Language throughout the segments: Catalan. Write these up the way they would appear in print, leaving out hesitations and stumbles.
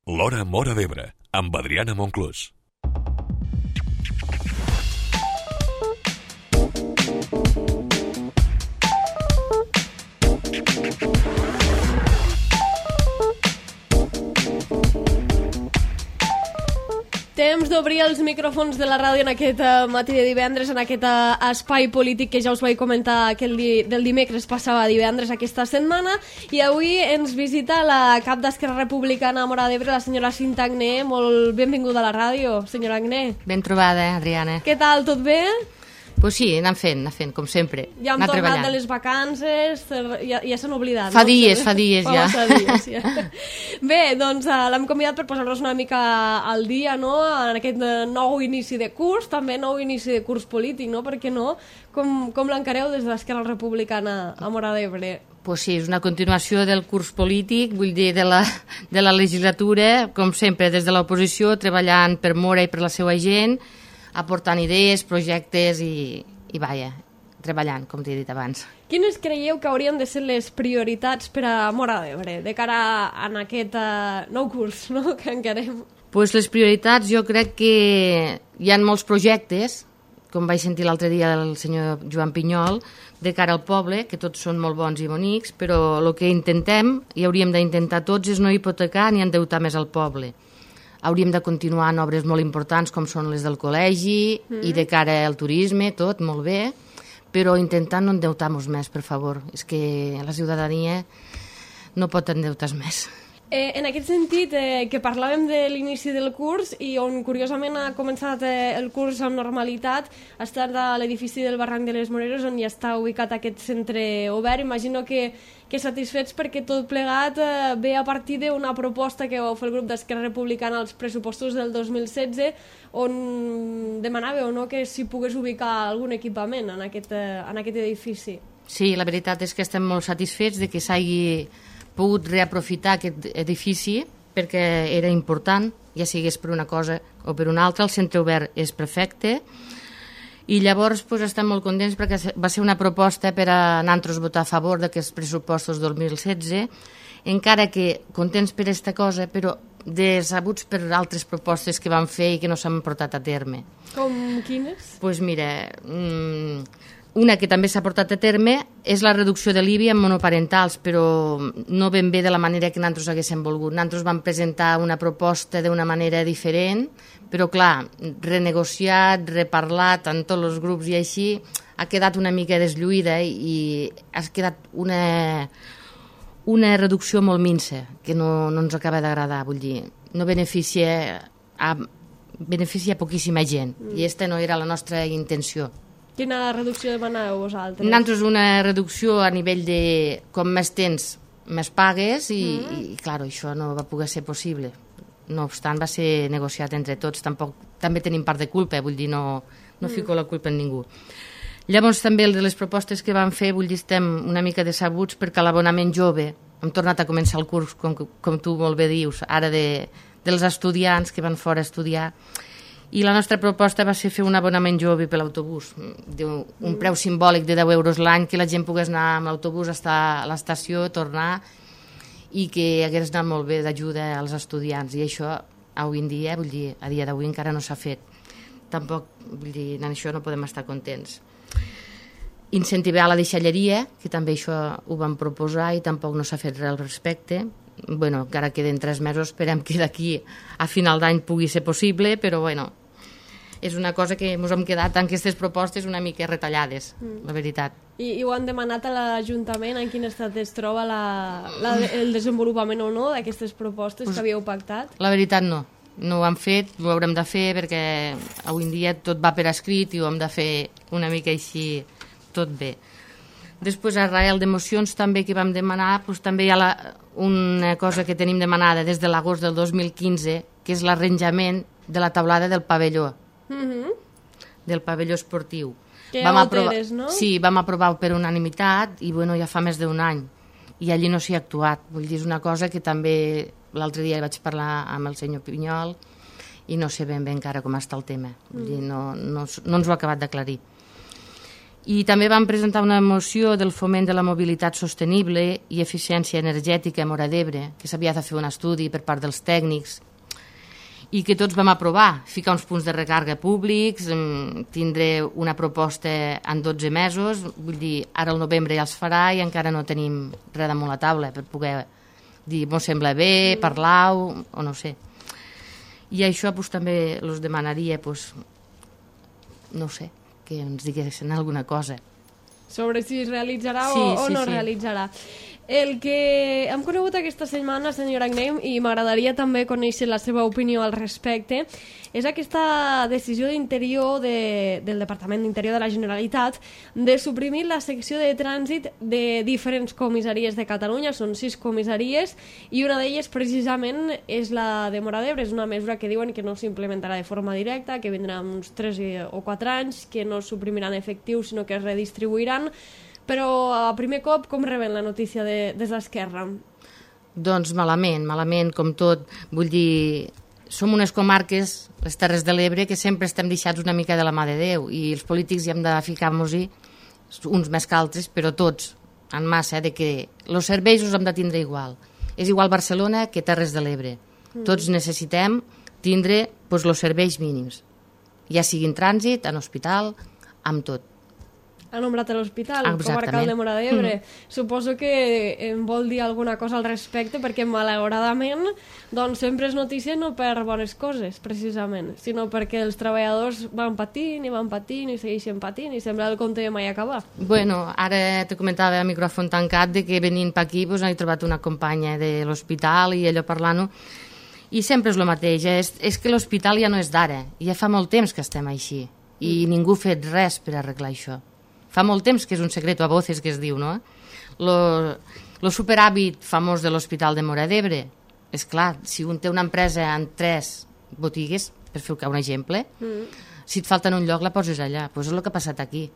L'Hora Móra d'Ebre, amb Adriana Monclús. Temps d'obrir els micròfons de la ràdio en aquest matí de divendres, en aquest espai polític que ja us vaig comentar que del dimecres passava a divendres aquesta setmana, i avui ens visita la cap d'Esquerra Republicana a Móra d'Ebre, la senyora Cinta Agné. Molt benvinguda a la ràdio, senyora Agné. Ben trobada, Adriana. Què tal, tot bé? Pues sí, anant fent, com sempre. Ja hem tornat de les vacances, ja s'han oblidat. Fa dies ja. Bé, doncs l'hem convidat per posar-nos una mica al dia, no?, en aquest nou inici de curs, també nou inici de curs polític, no?, per què no? Com l'encareu des de l'Esquerra Republicana a Móra d'Ebre? Pues sí, és una continuació del curs polític, vull dir, de la legislatura, com sempre, des de l'oposició, treballant per Móra i per la seva gent, aportant idees, projectes i vaja, treballant, com t'he dit abans. Quines creieu que haurien de ser les prioritats per a Móra d'Ebre de cara a aquest nou curs, no?, que encarem? Pues les prioritats, jo crec que hi ha molts projectes, com vaig sentir l'altre dia el senyor Joan Pinyol, de cara al poble, que tots són molt bons i bonics, però el que intentem, i hauríem d'intentar tots, és no hipotecar ni endeutar més al poble. Hauríem de continuar en obres molt importants com són les del col·legi i de cara al turisme, tot molt bé, però intentant no endeutar-nos més, per favor. És que la ciutadania no pot endeutar més. En aquest sentit, que parlàvem de l'inici del curs i on curiosament ha començat el curs amb normalitat, ha estat a l'edifici del Barranc de les Moreres, on ja està ubicat aquest centre obert. Imagino que satisfets perquè tot plegat ve a partir d'una proposta que vau fer el grup d'Esquerra Republicana als pressupostos del 2016, on demanàveu, no?, que s'hi pogués ubicar algun equipament en aquest edifici. Sí, la veritat és que estem molt satisfets de que s'hagi pogut reaprofitar aquest edifici perquè era important, ja sigués per una cosa o per una altra. El centre obert és perfecte i llavors estem molt contents perquè va ser una proposta per a nosaltres votar a favor d'aquests pressupostos 2016, encara que contents per aquesta cosa, però decebuts per altres propostes que van fer i que no s'han portat a terme. Com quines? Doncs mira, una que també s'ha portat a terme és la reducció de l'IBI en monoparentals, però no ben bé de la manera que nosaltres haguéssim volgut. Nosaltres vam presentar una proposta d'una manera diferent, però clar, renegociat, reparlat en tots els grups i així, ha quedat una mica deslluïda i ha quedat una reducció molt minsa, que no ens acaba d'agradar, vull dir, no beneficia poquíssima gent, i aquesta no era la nostra intenció. Quina reducció demanàveu vosaltres? Nosaltres una reducció a nivell de com més tens, més pagues i clar, això no va poder ser possible. No obstant, va ser negociat entre tots. També tenim part de culpa, vull dir, no fico la culpa en ningú. Llavors també de les propostes que van fer, vull dir, estem una mica decebuts perquè l'abonament jove, hem tornat a començar el curs, com tu molt bé dius, ara dels estudiants que van fora a estudiar, i la nostra proposta va ser fer un abonament jove per l'autobús, un preu simbòlic de 10 euros l'any, que la gent pogués anar amb l'autobús a l'estació, tornar, i que hagués anat molt bé d'ajuda als estudiants. I això, avui en dia, vull dir, a dia d'avui encara no s'ha fet. Tampoc, vull dir, en això no podem estar contents. Incentivar la deixalleria, que també això ho vam proposar i tampoc no s'ha fet res al respecte. Bueno, encara queden 3 mesos, esperem que d'aquí a final d'any pugui ser possible, però bueno, és una cosa que ens hem quedat en aquestes propostes una mica retallades, la veritat. I ho han demanat a l'Ajuntament? En quin estat es troba el desenvolupament o no d'aquestes propostes que havíeu pactat? La veritat no ho han fet, ho haurem de fer perquè avui en dia tot va per escrit i ho hem de fer una mica així tot bé. Després, a rael de mocions també que vam demanar, també hi ha una cosa que tenim demanada des de l'agost del 2015, que és l'arranjament de la taulada del pavelló, del pavelló esportiu. Que ja ho tens, no? Sí, vam aprovar per unanimitat i bueno, ja fa més d'un any i allí no s'hi ha actuat. Vull dir, és una cosa que també l'altre dia vaig parlar amb el senyor Pinyol i no sé ben bé encara com està el tema. Vull dir, no ens ho ha acabat d'aclarir. I també vam presentar una moció del foment de la mobilitat sostenible i eficiència energètica a Móra d'Ebre, que s'havia de fer un estudi per part dels tècnics i que tots vam aprovar, ficar uns punts de recàrrega públics, tindre una proposta en 12 mesos, vull dir, ara al novembre ja els farà i encara no tenim res damunt la taula per poder dir, m'ho sembla bé, parlar-ho, o no sé. I això pues, també els demanaria, pues, no sé, que ens diguessin alguna cosa. Sobre si es realitzarà o no realitzarà. El que hem conegut aquesta setmana, senyora Agnem, i m'agradaria també conèixer la seva opinió al respecte, és aquesta decisió d'Interior del Departament d'Interior de la Generalitat de suprimir la secció de trànsit de diferents comissaries de Catalunya. Són 6 comissaries i una d'elles precisament és la de Móra d'Ebre. És una mesura que diuen que no s'implementarà de forma directa, que vindrà uns 3 o 4 anys, que no suprimiran efectius sinó que es redistribuiran. Però a primer cop, com reben la notícia des d'Esquerra? Doncs malament, com tot. Vull dir, som unes comarques, les Terres de l'Ebre, que sempre estem deixats una mica de la mà de Déu i els polítics hi hem de ficar-nos-hi, uns més que altres, però tots, en massa, de que els serveis els hem de tindre igual. És igual Barcelona que Terres de l'Ebre. Tots necessitem tindre els serveis mínims, ja sigui en trànsit, en hospital, amb tot. Ha nombrat l'hospital comarcal de Móra d'Ebre. Suposo que em vol dir alguna cosa al respecte, perquè malauradament doncs, sempre és notícia no per bones coses, precisament, sinó perquè els treballadors van patint i segueixen patint i sembla el conte de mai acabar. Bueno, ara te comentava a micròfon tancat de que venint per aquí doncs, he trobat una companya de l'hospital i allò parlant-ho, i sempre és el mateix, és que l'hospital ja no és d'ara, ja fa molt temps que estem així i ningú ha fet res per arreglar això. Fa molt temps que és un secreto a voces que es diu, no? Lo superàvit famós de l'Hospital de Móra d'Ebre, és clar, si un té una empresa en 3 botigues, per fer un exemple, si et falta en un lloc la poses allà, doncs és el que ha passat aquí.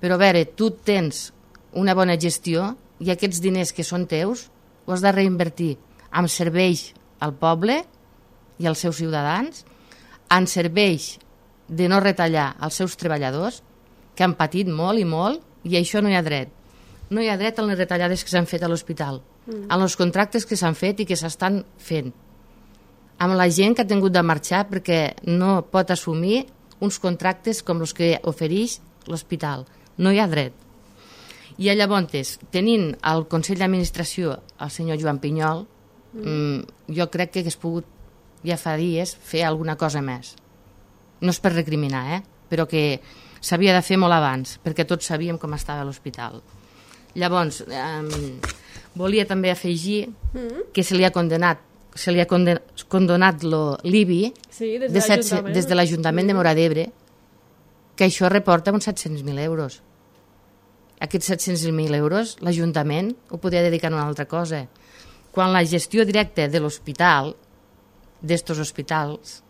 Però a veure, tu tens una bona gestió i aquests diners que són teus ho has de reinvertir en serveis al poble i als seus ciutadans, en serveis de no retallar als seus treballadors, que han patit molt i molt, i això no hi ha dret. No hi ha dret a les retallades que s'han fet a l'hospital, en els contractes que s'han fet i que s'estan fent, amb la gent que ha tingut de marxar perquè no pot assumir uns contractes com els que ofereix l'hospital. No hi ha dret. I llavors, tenint al Consell d'Administració el senyor Joan Pinyol, jo crec que hagués pogut, ja fa dies, fer alguna cosa més. No és per recriminar, però que s'havia de fer molt abans, perquè tots sabíem com estava l'hospital. Llavors, volia també afegir que se li ha condonat l'IBI des de l'Ajuntament de Móra d'Ebre, que això reporta uns 700.000 euros. Aquests 700.000 euros l'Ajuntament ho podia dedicar a una altra cosa. Quan la gestió directa de l'hospital, d'estos hospitals,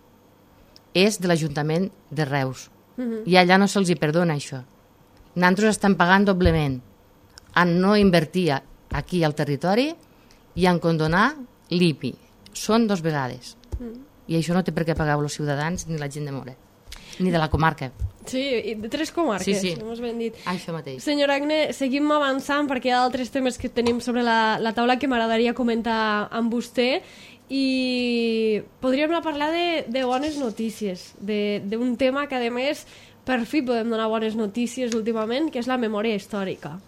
és de l'Ajuntament de Reus. I allà no se'ls hi perdona això. Nosaltres estem pagant doblement en no invertir aquí al territori i en condonar l'IPI. Són 2 vegades. I això no té per què pagar els ciutadans ni la gent de Móra, ni de la comarca. Sí, de 3 comarques, sí. Hemos ben dit. Això mateix. Senyora Agne, seguim avançant perquè hi ha altres temes que tenim sobre la taula que m'agradaria comentar amb vostè. I podríem parlar de bones notícies, d'un tema que a més per fi podem donar bones notícies últimament, que és la memòria històrica,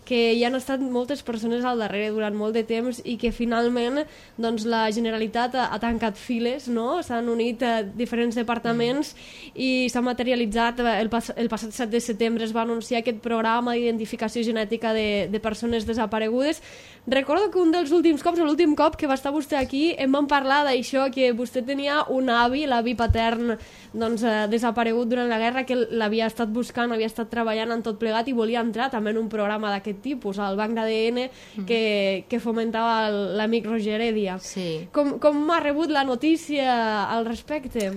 que hi han estat moltes persones al darrere durant molt de temps i que finalment doncs, la Generalitat ha tancat files, no? S'han unit a diferents departaments i s'ha materialitzat el passat 7 de setembre es va anunciar aquest programa d'identificació genètica de persones desaparegudes. Recordo que un dels últims cops, l'últim cop que va estar vostè aquí, em van parlar d'això, que vostè tenia un avi, l'avi patern doncs, desaparegut durant la guerra, que l'havia estat buscant, havia estat treballant en tot plegat i volia entrar també en un programa d'aquest tipus, al banc d'ADN que fomentava l'amic Roger Heredia. Sí. Com ha rebut la notícia al respecte?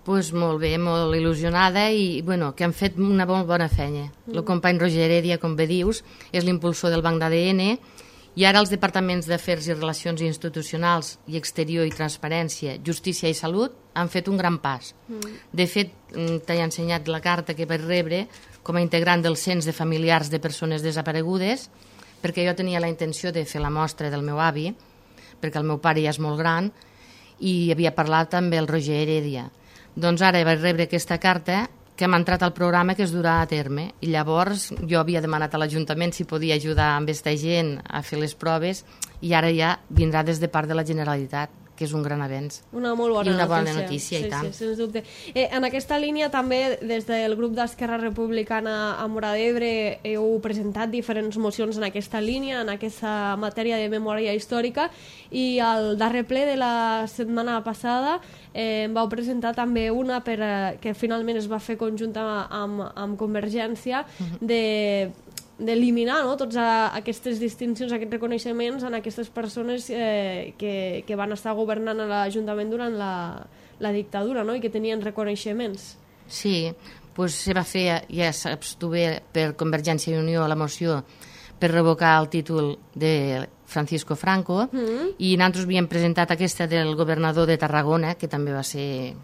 Pues molt bé, molt il·lusionada i bueno, que han fet una bona feina. El company Roger Heredia, com bé dius, és l'impulsor del banc d'ADN i ara els departaments d'Afers i Relacions Institucionals i Exterior i Transparència, Justícia i Salut han fet un gran pas. De fet, t'he ensenyat la carta que vaig rebre com a integrant del cens de familiars de persones desaparegudes, perquè jo tenia la intenció de fer la mostra del meu avi, perquè el meu pare ja és molt gran, i havia parlat amb el Roger Heredia. Doncs ara vaig rebre aquesta carta que m'ha entrat al programa que es durà a terme. I llavors jo havia demanat a l'Ajuntament si podia ajudar amb aquesta gent a fer les proves i ara ja vindrà des de part de la Generalitat, que és un gran avenç. Una molt bona I una bona notícia, i tant. Sí, sens dubte. En aquesta línia també des del grup d'Esquerra Republicana a Móra d'Ebre heu presentat diferents mocions en aquesta línia, en aquesta matèria de memòria històrica, i al darrer ple de la setmana passada vau presentar també una que finalment es va fer conjunta amb Convergència d'eliminar totes aquestes distincions, aquests reconeixements en aquestes persones que van estar governant a l'Ajuntament durant la dictadura, i que tenien reconeixements. Sí, doncs se va fer, ja saps tu bé, per Convergència i Unió la moció per revocar el títol de Francisco Franco, i nosaltres havíem presentat aquesta del governador de Tarragona, que també va ser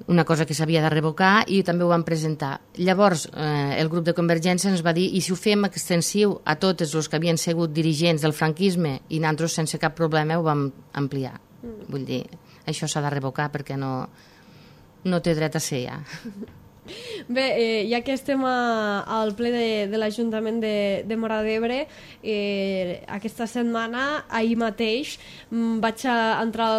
una cosa que s'havia de revocar, i també ho vam presentar. Llavors, el grup de Convergència ens va dir, i si ho fem extensiu a tots els que havien sigut dirigents del franquisme, i nosaltres sense cap problema ho vam ampliar. Vull dir, això s'ha de revocar perquè no té dret a ser ja. Bé, ja que estem al ple de l'Ajuntament de Móra d'Ebre, aquesta setmana, ahir mateix, vaig entrar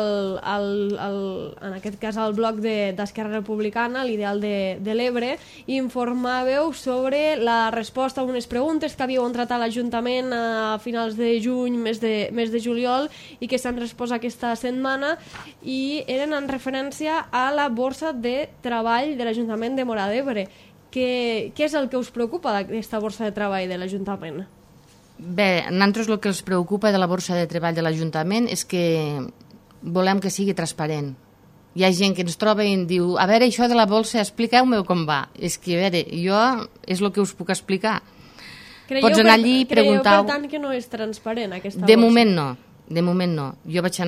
en aquest cas al blog d'Esquerra Republicana, l'Ideal de l'Ebre, i informaveu sobre la resposta a unes preguntes que havíeu entrat a l'Ajuntament a finals de juny, mes de juliol, i que s'han respost aquesta setmana, i eren en referència a la borsa de treball de l'Ajuntament de Móra d'Ebre. Què és el que us preocupa d'aquesta borsa de treball de l'Ajuntament? Bé, a nosaltres el que ens preocupa de la borsa de treball de l'Ajuntament és que volem que sigui transparent. Hi ha gent que ens troba i ens diu, a veure, això de la borsa, expliqueu-me com va. És que, a veure, jo és el que us puc explicar. Pots anar allí i preguntar... Creieu, per tant, que no és transparent aquesta borsa? De moment no. Jo vaig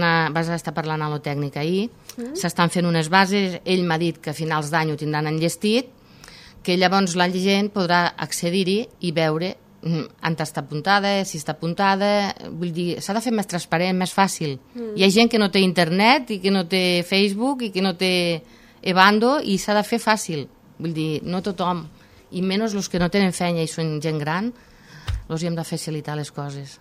estar parlant a la tècnica ahir, s'estan fent unes bases, ell m'ha dit que a finals d'any ho tindran enllestit, que llavors la gent podrà accedir-hi i veure on està apuntada, si està apuntada, vull dir, s'ha de fer més transparent, més fàcil. Hi ha gent que no té internet i que no té Facebook i que no té Evando i s'ha de fer fàcil, vull dir, no tothom, i menys els que no tenen feina i són gent gran, els hi hem de facilitar les coses.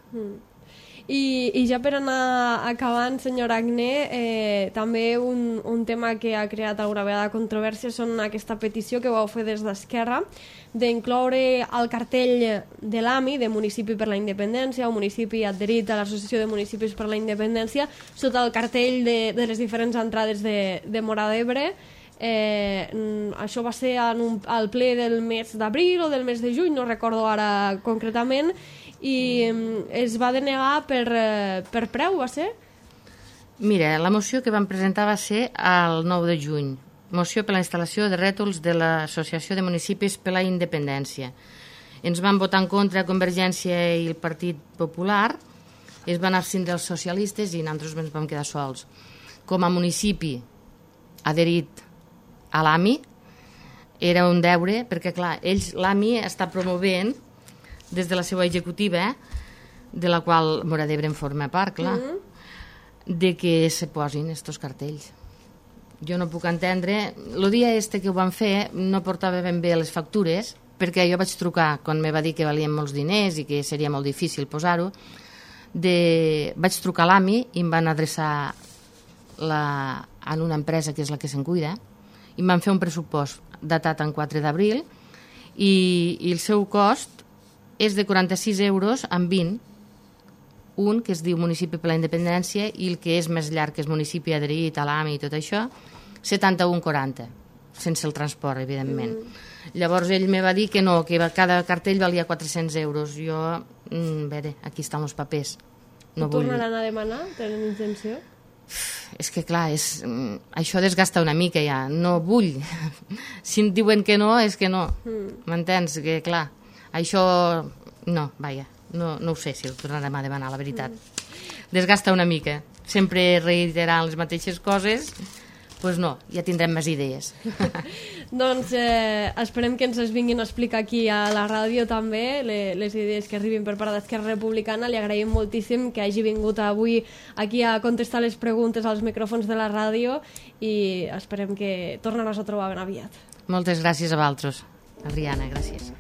I ja per anar acabant, senyor Agné, també un tema que ha creat alguna vegada controvèrsia són aquesta petició que vau fer des d'Esquerra d'incloure al cartell de l'AMI, de Municipi per la Independència, o municipi adherit a l'Associació de Municipis per la Independència, sota el cartell de les diferents entrades de Móra d'Ebre. Això va ser al ple del mes d'abril o del mes de juny, no recordo ara concretament, i es va denegar per preu, va ser? Mira, la moció que vam presentar va ser el 9 de juny. Moció per la instal·lació de rètols de l'Associació de Municipis per la Independència. Ens van votar en contra Convergència i el Partit Popular, es van abstindre els socialistes i nosaltres ens vam quedar sols. Com a municipi adherit a l'AMI, era un deure, perquè clar, l'AMI està promovent des de la seva executiva, de la qual Móra d'Ebre en forma part, clar, de que se posin estos cartells. Jo no puc entendre... El dia que ho van fer no portava ben bé les factures, perquè jo vaig trucar, quan me va dir que valien molts diners i que seria molt difícil posar-ho, vaig trucar a l'AMI i em van adreçar en una empresa que és la que se'n cuida, i em van fer un pressupost datat en 4 d'abril i el seu cost és de 46 euros amb 20, un que es diu Municipi per la Independència i el que és més llarg, que és Municipi adherit a l'AMI i tot això, 71,40, sense el transport, evidentment. Llavors ell me va dir que no, que cada cartell valia 400 euros. Jo, a veure, aquí estan els papers. No vull... Tornaran a demanar? Tenen intenció? És que clar, això desgasta una mica ja, no vull. Si em diuen que no, és que no. M'entens? Que clar, això no, vaja, no ho sé si ho tornarem a demanar, la veritat. Desgasta una mica. Sempre reiterant les mateixes coses, doncs no, ja tindrem més idees. Doncs esperem que ens les vinguin a explicar aquí a la ràdio també, les idees que arribin per part d'Esquerra Republicana. Li agraïm moltíssim que hagi vingut avui aquí a contestar les preguntes als micròfons de la ràdio i esperem que tornem a trobar ben aviat. Moltes gràcies a vosaltres. Adriana, gràcies.